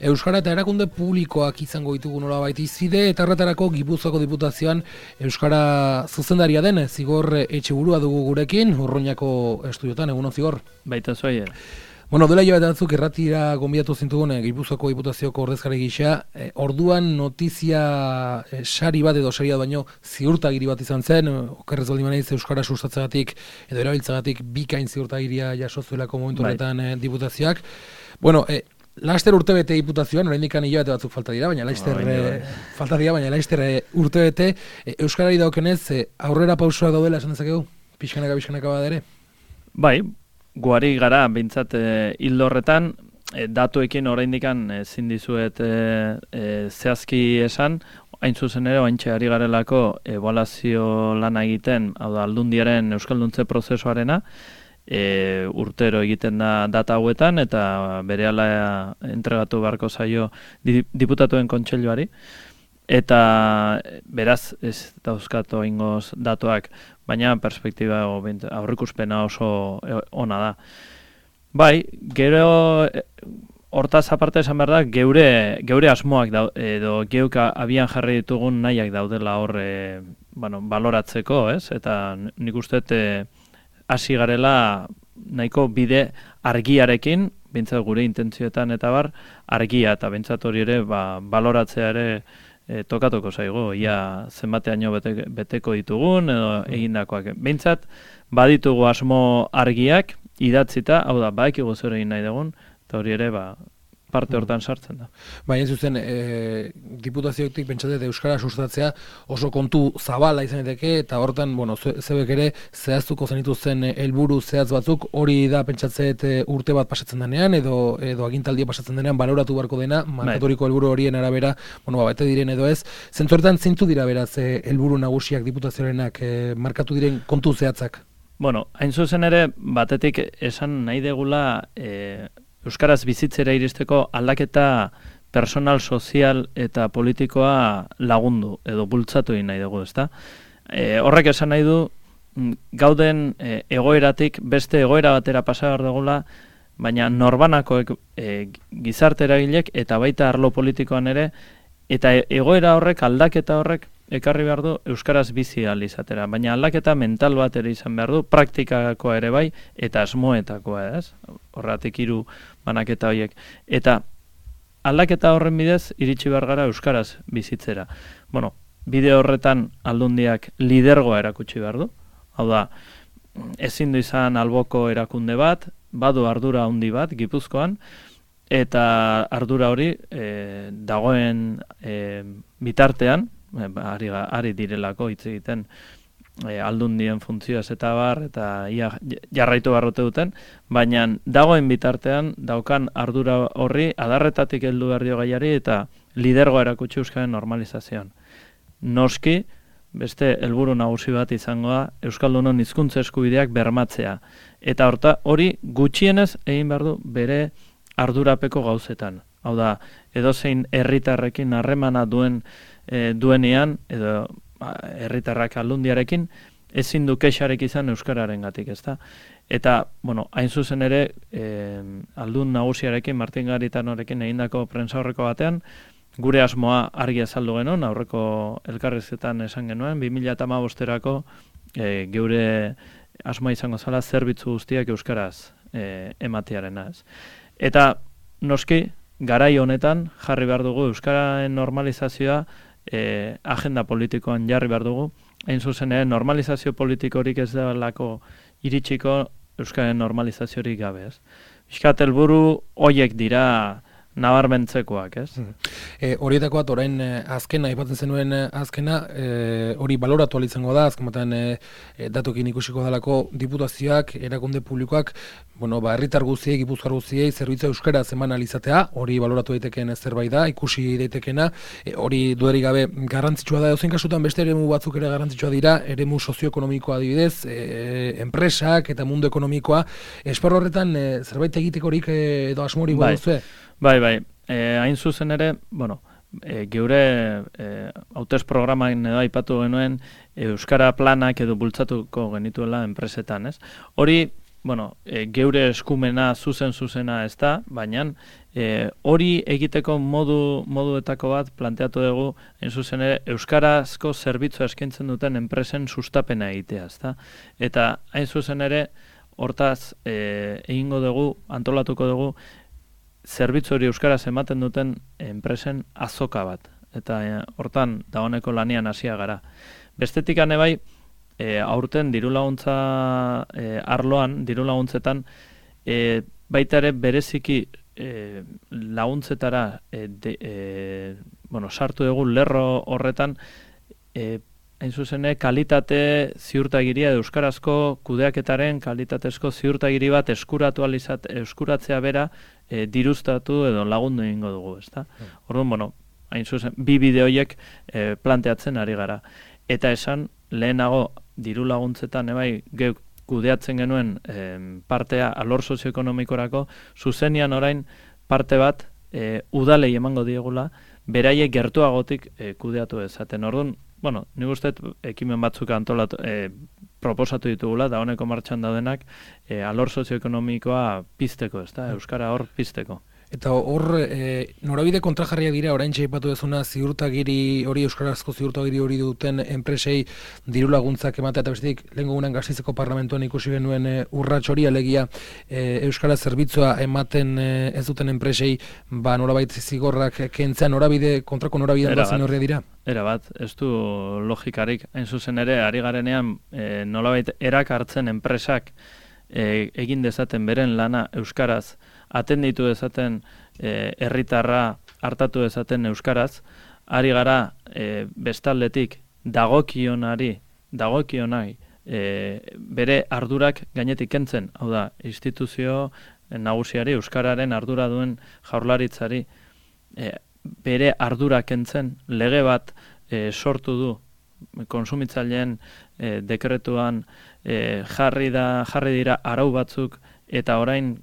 Euskara eta erakunde publikoak izango ditugu nolabait izide, eta horretarako Gipuzkoako Diputazioan Euskara zuzendaria den Zigor Etxeburua dugu gurekin, Urruñako estudiotan, egunon Zigor. Baita zuai. Bueno, dela hilabete batzuk erratira gonbidatu zintugun Gipuzkoako Diputazioko ordezkari gisa, orduan notizia sari bat edo saria baino ziurtagiri bat izan zen, okerrez baldin banaiz Euskara sustatzagatik edo erabiltzagatik bikain ziurtagiria jaso zuelako momentu horretan Diputazioak. Bueno, Laster urtebete Diputazioan, oraindik hilabete batzuk falta dira, baina laster urtebete Euskarari daukenez aurrera pausoak daudela esan dezakegu, pixkanaka badere. Bai, guari gara behintzat hildo horretan, datuekin oraindikan ezin dizuet zehazki esan, hain zuzen ere oraintxe ari garelako ebaluazio lana egiten, hau da Aldundiaren euskalduntze prozesuarena, urtero egiten da data hauetan eta berehala entregatu beharko zaio diputatuen kontseiluari eta beraz ez dauzkatu ingoz datuak, baina perspektiba aurrikuspena oso ona da. Bai, gero hortaz aparte esan behar da geure asmoak edo geuka abian jarri ditugun nahiak daudela hor baloratzeko, ez? Eta nik uste hasi garela nahiko bide argiarekin, bintzat gure intentzioetan eta bar, argia eta bintzat hori ere baloratzea ere tokatuko zaigu, ia zenbateaino beteko ditugun edo egindakoak. Bintzat baditugu asmo argiak idatzita, hau da, badakigu zer egin nahi dugun, eta hori ere parte hortan sartzen da. Baina zuzen, diputazioetik pentsatet Euskara sustatzea oso kontu zabala izan daiteke, eta hortan, zebek ere zehaztuko zenituzen helburu zehaz batzuk, hori da pentsatzet urte bat pasatzen denean, edo agintaldia pasatzen denean, baloratu beharko dena, markaturiko helburu horien arabera, bete diren edo ez. Zentzu horretan, zeintu dira beraz helburu nagusiak diputazioarenak markatu diren kontu zehatzak? Hain zuzen ere, batetik esan nahi degula Euskaraz bizitzera iristeko aldaketa personal, sozial eta politikoa lagundu edo bultzatu egin nahi dugu, ezta? Horrek esan nahi du gauden egoeratik beste egoera batera pasa behar dugula, baina norbanakoek gizarte eragilek eta baita arlo politikoan ere, eta egoera horrek, aldaketa horrek ekarri behar du Euskaraz bizi ahal izatera, baina aldaketa mental bat ere izan behar du, praktikakoa ere bai, eta asmoetakoa, ez? Horregatik 3 banaketa horiek. Eta aldaketa horren bidez iritsi behar gara Euskaraz bizitzera. Bide horretan Aldundiak lidergoa erakutsi behar du, hau da, ezin du izan alboko erakunde bat, badu ardura handi bat Gipuzkoan, eta ardura hori dagoen bitartean, ari direlako hitz egiten Aldundien funtzioaz eta bar, eta jarraitu barrote duten, baina dagoen bitartean daukan ardura horri adarretatik heldu behar dio gaiari eta lidergoa erakutsi Euskaren normalizazioan. Noski, beste helburu nagusi bat izango da Euskaldunon hizkuntza eskubideak bermatzea. Eta hori gutxienez egin behar du bere ardurapeko gauzetan. Hau da, edozein herritarrekin harremana duenean, edo herritarrak Aldundiarekin, ezin du kexarek izan Euskararengatik, ezta? Eta, hain zuzen ere, Aldun nagusiarekin, Martin Garitanorekin egindako prentsaurreko batean, gure asmoa argi azaldu genuen, aurreko elkarrizketan esan genuen, 2015erako geure asmoa izango zela zerbitzu guztiak euskaraz ematearena, ez. Eta, noski, garai honetan jarri behar dugu euskararen normalizazioa agenda politikoan jarri behar dugu. Hain zuzen ere, normalizazio politikorik ez delako iritsiko euskararen normalizaziorik gabe, ez. Piskat helburu horiek dira nabarmentzekoak, ez? Horietako bat, orain azkena, aipatzen zenuen azkena, hori baloratu ahal izango da, azken batean datuekin ikusiko dalako diputazioak, erakunde publikoak, herritar guztiei, gipuzkoar guztiei, zerbitzu euskaraz eman ahal izatea, hori baloratu daitekeen zerbait da, ikusi daitekena, hori dudarik gabe garrantzitsua da, edozein kasutan beste eremu batzuk ere garrantzitsua dira, eremu sozioekonomikoa adibidez, enpresak eta mundu ekonomikoa, esparru horretan zerbait egitekorik edo asmorik baduzue? Bai, hain zuzen ere, geure hautez programan edo aipatu genuen Euskara planak edo bultzatuko genituela enpresetan, ez? Hori geure eskumena zuzena ez da, baina hori egiteko moduetako bat planteatu dugu, hain zuzen ere, euskarazko zerbitzua eskaintzen duten enpresen sustapena egitea, ezta? Eta hain zuzen ere, hortaz egingo dugu, antolatuko dugu, zerbitzu hori euskaraz ematen duten enpresen azoka bat. Eta hortan, dagoeneko lanian hasia gara. Bestetik bai, aurten dirulaguntza arloan, dirulaguntzetan, baita ere bereziki laguntzetara sartu dugu lerro horretan hain zuzene kalitate ziurtagiria euskarazko kudeaketaren kalitatezko ziurtagiri bat eskuratzea bera diruztatu edo lagundu egingo dugu, ezta? Orduan, hain zuzen, bi bideoiek planteatzen ari gara. Eta esan, lehenago diru laguntzetan geuk kudeatzen genuen partea alor sozioekonomikorako, zuzenian orain parte bat udalei emango diegula, beraiek gertuagotik kudeatu ezaten. Orduan, nik uste ekimen batzuk antolatu, proposatu ditugula, da honeko martxan daudenak, alor sozioekonomikoa pizteko, ezta? Euskara hor pizteko. Eta hor, norabide kontrajarria dira, orain txaipatu dezuna ziurtagiri hori, euskarazko ziurtagiri hori duten enpresei diru laguntzak ematea, eta bestetik, lehen gugunan Gasteizeko parlamentuan ikusi genuen urrats hori, alegia euskara zerbitzua ematen ez duten enpresei, norabait zigorrak kentzea, kontrako norabidean bazen horria dira? Era bat, ez du logikarik, hain zuzen ere, ari garenean, nolabait erak hartzen enpresak egin dezaten beren lana euskaraz, atenditu dezaten herritarra hartatu dezaten euskaraz, ari gara bestaldetik dagokionai bere ardurak gainetik kentzen, hau da, instituzio nagusiari, euskararen ardura duen jaurlaritzari bere ardura kentzen, lege bat sortu du konsumitzaileen dekretuan jarri dira arau batzuk eta orain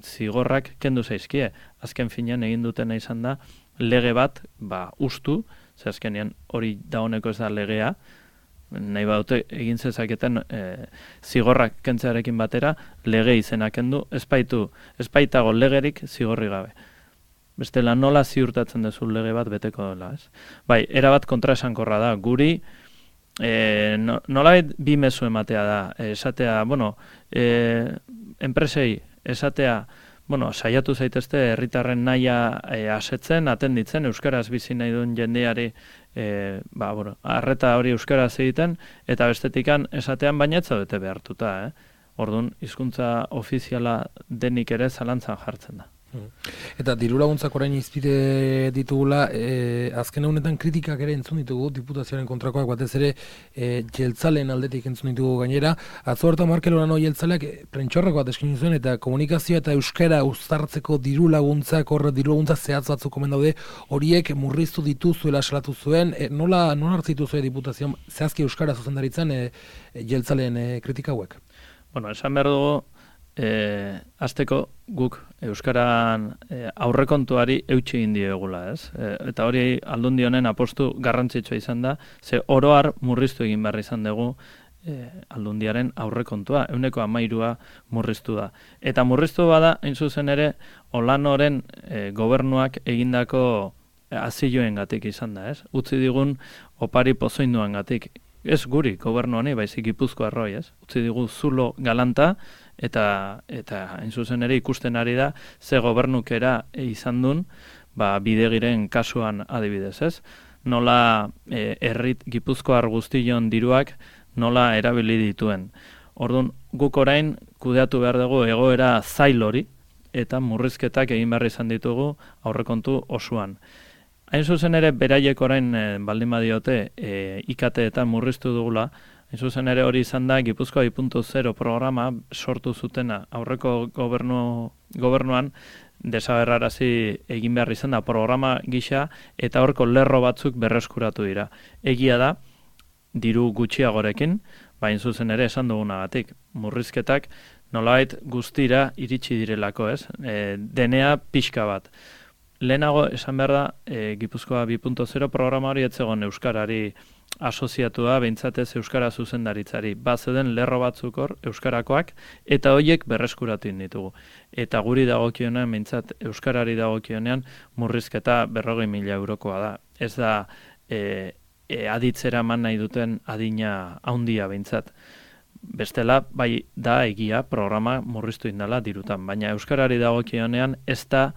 zigorrak kendu zaizkie. Azken finean egin dutena izan da lege bat ustu, ze azkenean hori dagoeneko ez da legea, nahi badute egin zezaketen zigorrak kentzearekin batera lege izena kendu, ez baitago legerik zigorri gabe. Bestela nola ziurtatzen duzu lege bat beteko dela, ez? Bai, erabat kontraesankorra da, guri nolabait bi mezu ematea da, esatea, enpresei esatea, saiatu zaitezte herritarren nahia asetzen, atenditzen, euskaraz bizi nahi duen jendeari arreta hori euskaraz egiten, eta bestetikan esatean baina ez zaudete behartuta, Orduan, hizkuntza ofiziala denik ere zalantzan jartzen da. Eta diru laguntzak orain izpide ditugula, azken honetan kritikak ere entzun ditugu, diputazioaren kontrakoak batez ere jeltzaleen aldetik entzun ditugu gainera. Atzo hartan Markel Olano jeltzaleak prentxorrako bat eskin zuen eta komunikazioa eta euskara uztartzeko diru laguntzak, diru laguntza zehatz batzuk omen daude, horiek murriztu dituzuela salatu zuen, nola hartzitu zuen diputazioan zehazki euskara zuzendaritzen jeltzaleen kritika hauek? Esan behar dugu, azteko guk euskaran aurrekontuari eutsi egin diegula, ez? Eta hori Aldundi honen apostu garrantzitsua izan da, ze oroar murriztu egin behar izan dugu Aldundiaren aurrekontua, 13% murriztu da. Eta murriztu bada, hain zuzen ere, Olanoren gobernuak egindako azioengatik izan da, ez? Utzi digun opari pozoinduangatik. Ez guri, gobernuani, baizik Gipuzkoarroi, ez? Utzi digu zulo galanta, eta hain zuzen ere ikusten ari da, ze gobernukera izan duen, bidegiren kasuan adibidez, ez? Nola Gipuzkoar guztion diruak nola erabili dituen. Orduan, guk orain kudeatu behar dugu egoera zail hori, eta murrizketak egin behar izan ditugu aurrekontu osoan. Hain zuzen ere, beraiek orain baldin badiote ikateetan murriztu dugula, hain zuzen ere hori izan da Gipuzkoa 2.0 programa sortu zutena aurreko gobernuan desagerrarazi egin behar izan da programa gisa eta horko lerro batzuk berreskuratu dira. Egia da, diru gutxiagorekin, hain zuzen ere esan dugunagatik, murrizketak nolabait guztira iritsi direlako, ez? Denea pixka bat. lehenago esan behar da, Gipuzkoa 2.0 programa hori etzegon euskarari asoziatua, behintzatez euskara zuzendaritzari. Bazeuden lerro batzuk hor, euskarakoak, eta horiek berreskuratu ditugu. Eta guri dagokionean, behintzat euskarari dagokionean, murrizketa 40.000 eurokoa da. Ez da aditzera eman nahi duten adina handia behintzat. Bestela, bai da egia programa murriztu indala dirutan, baina euskarari dagokionean ez da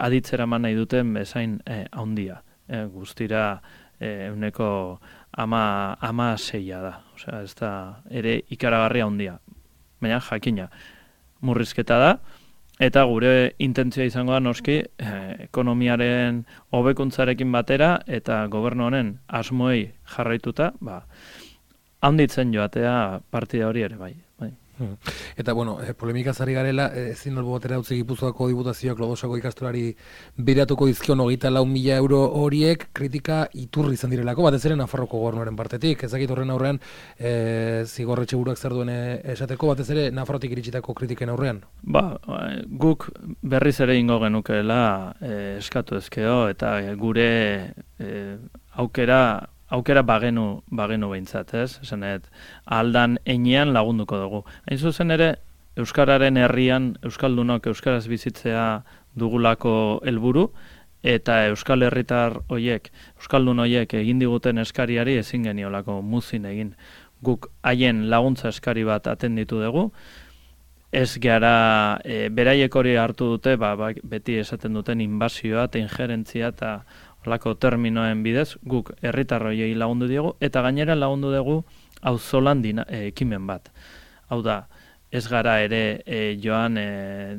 aditzera eman nahi duten bezain handia. Guztira euneko 16 da. Osea, ez da ere ikaragarria handia. Baina jakina, murrizketa da, eta gure intentzioa izango da noski ekonomiaren hobekuntzarekin batera eta gobernu honen asmoei jarraituta, handitzen joatea partida hori ere, bai. Eta, bueno, polemikaz ari garela, ezin albo batera utzi Gipuzkoako diputazioak Lodosako ikastolari biratuko dizkion 24.000 euro horiek kritika iturri izan direlako, batez ere Nafarroko gobernuaren partetik. Ezakit horren aurrean zigorretxe buruak zer duen esateko, batez ere Nafarrotik iritsitako kritiken aurrean? Guk berriz ere ingo genukeela eskatu ezkeo, eta gure aukera bagenu behintzat, ez? Esanet, aldan enean lagunduko dugu. Hain zuzen ere, Euskararen herrian, Euskaldunok Euskaraz bizitzea dugulako helburu, eta Euskal Herritar hoiek, Euskaldun hoiek egin diguten eskariari ezin geniolako muzin egin. Guk haien laguntza eskari bat atenditu dugu, ez gara, beraiek hori hartu dute, beti esaten duten inbasioa eta injerentzia eta holako terminoen bidez, guk herritarroiei lagundu diegu, eta gainera lagundu dugu auzolan ekimen bat. Hau da, ez gara ere joan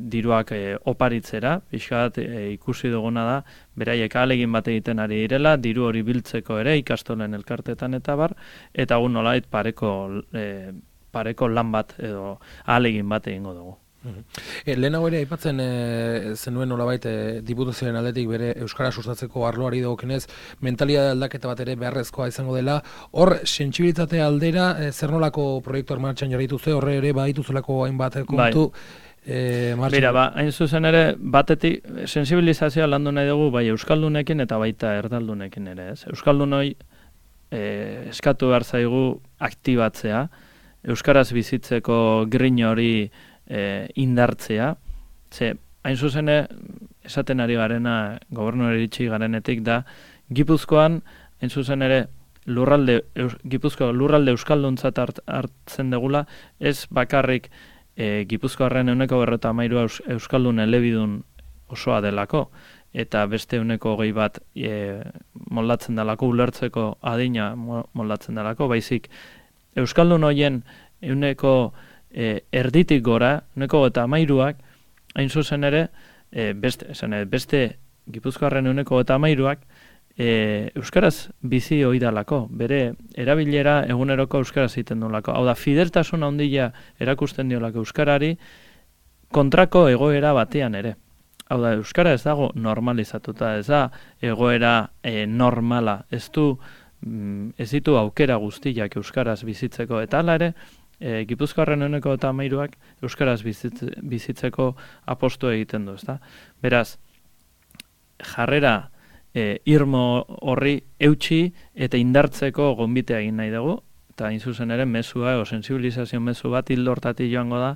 diruak oparitzera, pixkat ikusi duguna da, beraiek ahalegin bat egiten ari direla, diru hori biltzeko ere ikastolen elkartetan eta bar, eta gu nolait pareko lan bat edo ahalegin bat egingo dugu. Lehenago ere aipatzen zenuen nolabait diputazioaren aldetik bere euskara sustatzeko arloari dagokienez mentalitate aldaketa bat ere beharrezkoa izango dela. Hor sentsibilitate aldera zer nolako proiektuak martxan jarri dituzue, horre ere badituzelako hainbat kontu. Mira, hain zuzen ere batetik sensibilizazioa landu nahi dugu bai euskaldunekin eta baita erdaldunekin ere, ez? Euskaldunoi eskatu behar zaigu aktibatzea, euskaraz bizitzeko grin hori indartzea, ze hain zuzen esaten ari garena gobernuari iritsi garenetik da Gipuzkoan hain zuzen ere Gipuzkoa lurralde euskalduntzat hartzen degula, ez bakarrik Gipuzkoarren 93 euskaldun elebidun osoa delako, eta beste 20 bat moldatzen delako, ulertzeko adina moldatzen delako, baizik euskaldun hoien erditik gora, 93ak, hain zuzen ere, beste Gipuzkoarren 93ak, euskaraz bizi oidalako, bere erabilera eguneroko euskaraz egiten duelako. Hau da, fideltasun handia erakusten diolako euskarari, kontrako egoera batean ere. Hau da, euskara ez dago normalizatuta, ez da egoera normala, ez ditu aukera guztiak euskaraz bizitzeko, eta hala ere, Gipuzkoarren 93ak euskaraz bizitzeko apostu egiten du, ezta? Beraz, jarrera irmo horri eutxi eta indartzeko gonbitea egin nahi dugu, eta hain zuzen ere mezua, sensibilizazio mezu bat hildo hortatik joango da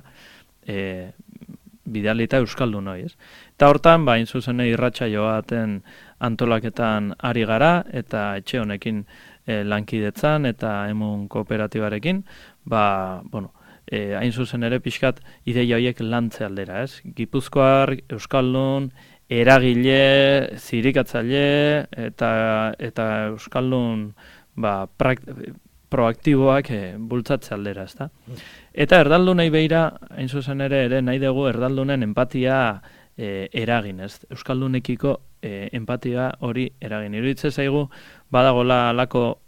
bidalita euskaldun hori, ez? Eta hortan, hain zuzen irratsaio baten antolaketan ari gara, eta etxe honekin lankidetzan eta emun kooperatibarekin, hain zuzen ere pixkat ideia horiek lantze aldera, ez? Gipuzkoar, euskaldun, eragile, zirikatzaile eta euskaldun proaktiboak bultzatze aldera, ezta? Eta erdaldunei beira, hain zuzen ere nahi dugu erdaldunen empatia eragin, ez? Euskaldunekiko empatia hori eragin. Iruditzen zaigu, badagola alako,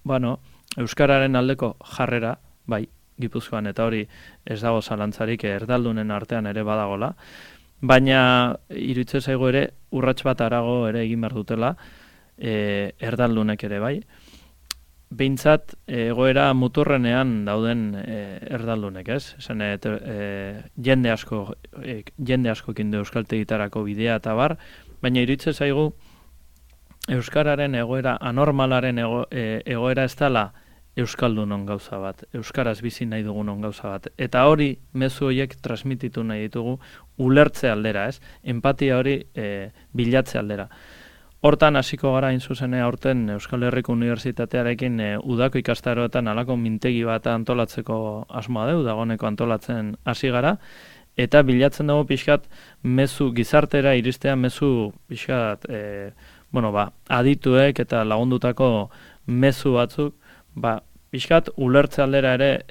euskararen aldeko jarrera, bai, Gipuzkoan, eta hori ez dago zalantzarik erdaldunen artean ere badagola, baina iruditzen zaigu ere urrats bat harago ere egin behar dutela erdaldunek ere, bai. Behintzat, egoera muturrenean dauden erdaldunek, ez? Esan, jende asko kindu euskaltegitarako bidea eta bar, baina iritze zaigu euskararen egoera, anormalaren egoera ez dela euskaldunon gauza bat, euskaraz bizi nahi dugunon gauza bat. Eta hori, mezu horiek transmititu nahi ditugu ulertze aldera, ez? Empatia hori bilatze aldera. Hortan hasiko gara hain zuzenea aurten Euskal Herriko Unibertsitatearekin udako ikastaroetan halako mintegi bat antolatzeko asmoa deu, dagoeneko antolatzen hasi gara, eta bilatzen dugu pixkat mezu gizartera iristea mezu pixkat adituek eta lagundutako mezu batzuk, pixkat ulertze aldera ere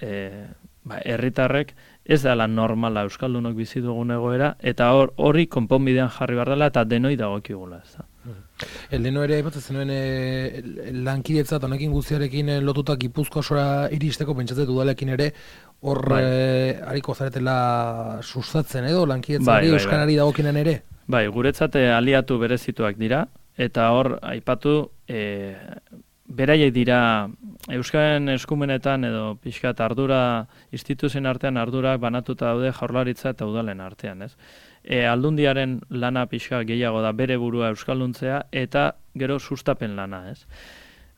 herritarrek ez dela normala euskaldunok bizi dugun egoera, eta hori konponbidean jarri behar dela eta denoi dagokigula, ez da. Leno ere, zenuen lankidetza eta honekin guztiarekin lotuta Gipuzkoa osora iristeko, pentsatzen udalekin ere, hor hariko zaretela sustatzen edo, lankidetza euskarari dagokinen ere? Bai, guretzate aliatu berezituak dira, eta hor, aipatu, beraiek dira euskaren eskumenetan edo pixkat ardura, instituzioen artean ardurak banatuta daude Jaurlaritza eta udalen artean, ez? Aldundiaren lana pixka gehiago da bere burua euskalduntzea eta gero sustapen lana, ez?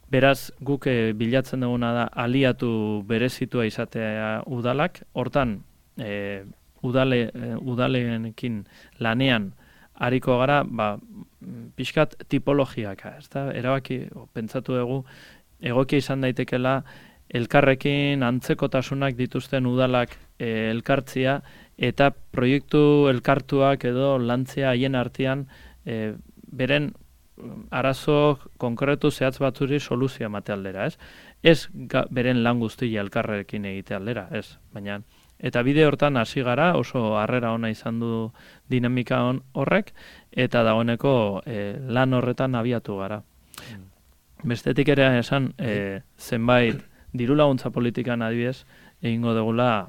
Beraz, guk bilatzen duguna da aliatu berezitua izatea udalak, hortan udalenekin lanean hariko gara, pixkat tipologiak, ezta? Erabaki, pentsatu dugu, egokia izan daitekela elkarrekin antzekotasunak dituzten udalak elkartzia eta proiektu elkartuak edo lantzea haien artean beren arazo konkretu zehatz batzuri soluzioa emate aldera, ez? Ez beren lan guztia elkarrekin egite aldera, ez? Baina eta bide hortan hasi gara, oso harrera ona izan du dinamika horrek, eta dagoeneko lan horretan abiatu gara. Bestetik ere esan, zenbait diru laguntza politikan adibidez, egingo dugula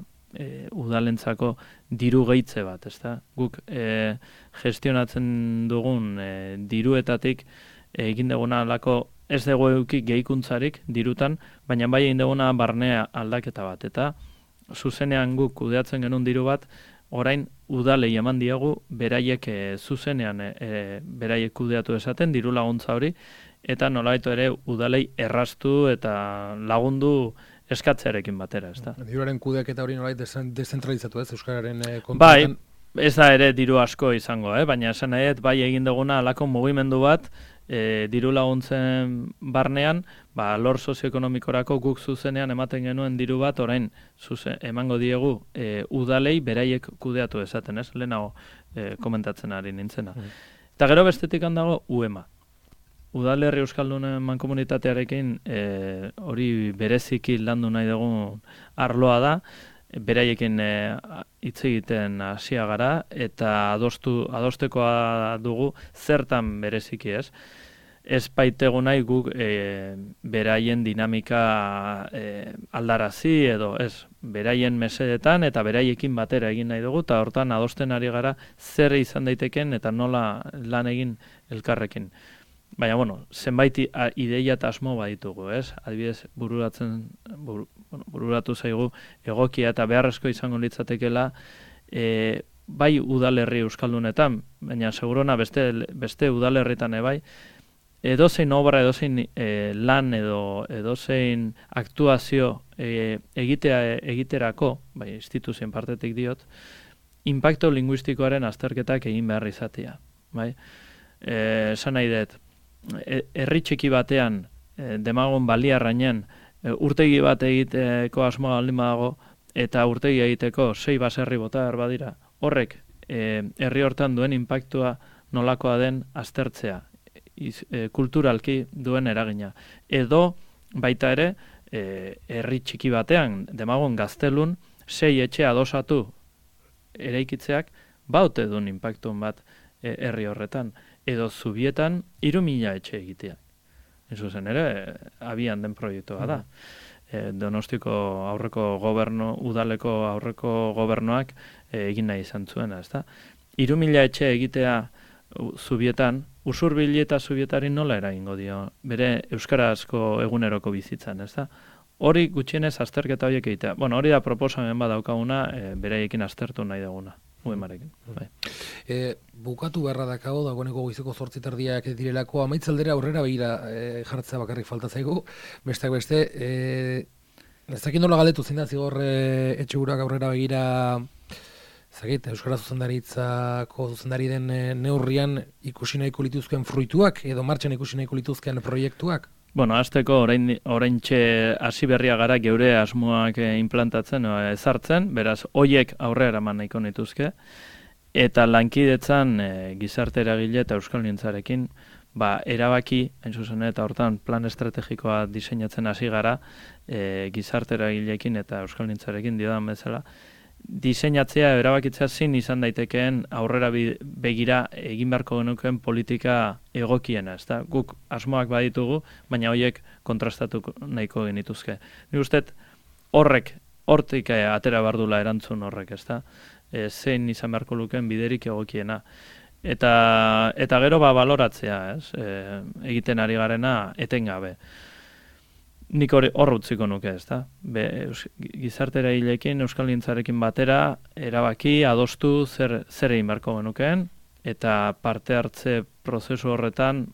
udalentzako diru gehitze bat, ezta? Guk gestionatzen dugun diruetatik egin duguna alako ez dugu eduki gehikuntzarik dirutan, baina bai egin duguna barnea aldaketa bat, eta zuzenean guk kudeatzen genuen diru bat, orain udalei eman diegu, beraiek zuzenean beraiek kudeatu esaten, diru laguntza hori, eta nolabait ere udalei erraztu eta lagundu eskatzearekin batera, ez da. Diruaren kudeaketa hori nolabait dezentralizatu, ez, euskararen kontuetan? Bai, ez da ere diru asko izango, baina esan nahi, bai egin duguna alako mugimendu bat, diru laguntzen barnean, lor sozioekonomikorako guk zuzenean ematen genuen diru bat, orain emango diegu udalei beraiek kudeatu esaten, ez? Lehenago komentatzen ari nintzena. Eta gero bestetik handago UEMA. Udalerri Euskaldunen mankomunitatearekin hori bereziki landu nahi dugun arloa da, beraiekin hitz egiten hasia gara eta adostekoa dugu zertan bereziki, ez? Ez baitegu nahi guk beraien dinamika aldarazi edo ez, beraien mesedetan eta beraiekin batera egin nahi dugu, eta hortan adosten ari gara zer izan daiteken eta nola lan egin elkarrekin. Baina, zenbait ideia eta asmo baditugu, ez? Adibidez, bururatu zaigu egokia eta beharrezko izango litzatekela bai udalerri euskaldunetan, baina segurona beste udalerritan bai, edozein obra, edozein lan edo edozein aktuazio egiterako, bai, instituzioen partetik diot, inpakto linguistikoaren azterketak egin behar izatea, bai? Esan nahi dut, herri txiki batean, demagun baliarrainen, urtegi bat egiteko asmoa aldin badago, eta urtegi egiteko 6 baserri bota behar badira. Horrek, herri hortan duen inpaktua nolakoa den aztertzea, kulturalki duen eragina. Edo, baita ere, herri txiki batean, demagun Gaztelun, 6 etxe adosatu eraikitzeak, baute duen inpaktun bat herri horretan. Edo Zubietan 3.000 etxe egitea. Zuzen ere, abian den proiektua da. Donostiko aurreko udaleko aurreko gobernuak egin nahi izan zuena, ezta? 3.000 etxe egitea Zubietan, Usurbili eta Zubietari nola eragingo dio, bere euskarazko eguneroko bizitzan, ezta? Hori gutxienez azterketa horiek egitea. Hori da proposamen bat daukaguna, beraiekin aztertu nahi duguna. UEMarekin. Bai. Bukatu beharra dakago, dagoeneko goizeko 8:00 direlako, amaitzaldera aurrera begira jartzea bakarrik falta zaigu, besteak beste, ezakin nola galdetu zein da zigor Etxeburuak aurrera begira, Euskara Zuzendaritzako zuzendari den neurrian ikusi nahiko lituzken fruituak, edo martxan ikusi nahiko lituzken proiektuak? Bueno, hasteko oraintxe hasi berria gara geure asmoak implantatzen, ezartzen, beraz, hoiek aurrera eraman nahiko nituzke, eta lankidetzan gizarte eragile eta euskalgintzarekin erabaki, hain zuzen eta hortan plan estrategikoa diseinatzen hasi gara, gizarte eragileekin eta euskalgintzarekin diodan bezala, diseinatzea, erabakitzea zin izan daitekeen aurrera begira egin beharko genukeen politika egokiena, ezta? Guk asmoak baditugu, baina horiek kontrastatu nahiko genituzke. Nik uste hortik atera bardula erantzun horrek, ezta? Zein izan beharko lukeen biderik egokiena. Eta gero baloratzea, ez? Egiten ari garena etengabe. Nik hor utziko nuke, ezta? Gizarte eragileekin, euskalgintzarekin batera, erabaki, adostu zer egin beharko genukeen, eta parte hartze prozesu horretan,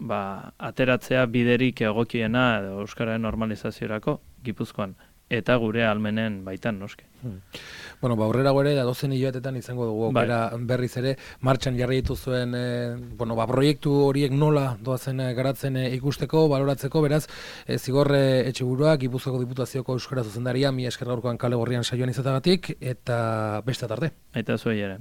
ateratzea biderik egokiena edo euskararen normalizaziorako Gipuzkoan, eta gure almenen baitan, noski. Bueno, aurrera gore, datozen hilabetetan izango dugu, berriz ere, martxan jarri dituzuen, proiektu horiek nola doazen garatzen ikusteko, baloratzeko, beraz, zigor Etxeburuak, Gipuzkoako Diputazioko Euskara Zuzendaria, mila esker gaurkoan Kale Gorrian saioan izatagatik, eta beste tarte. Eta zuei ere.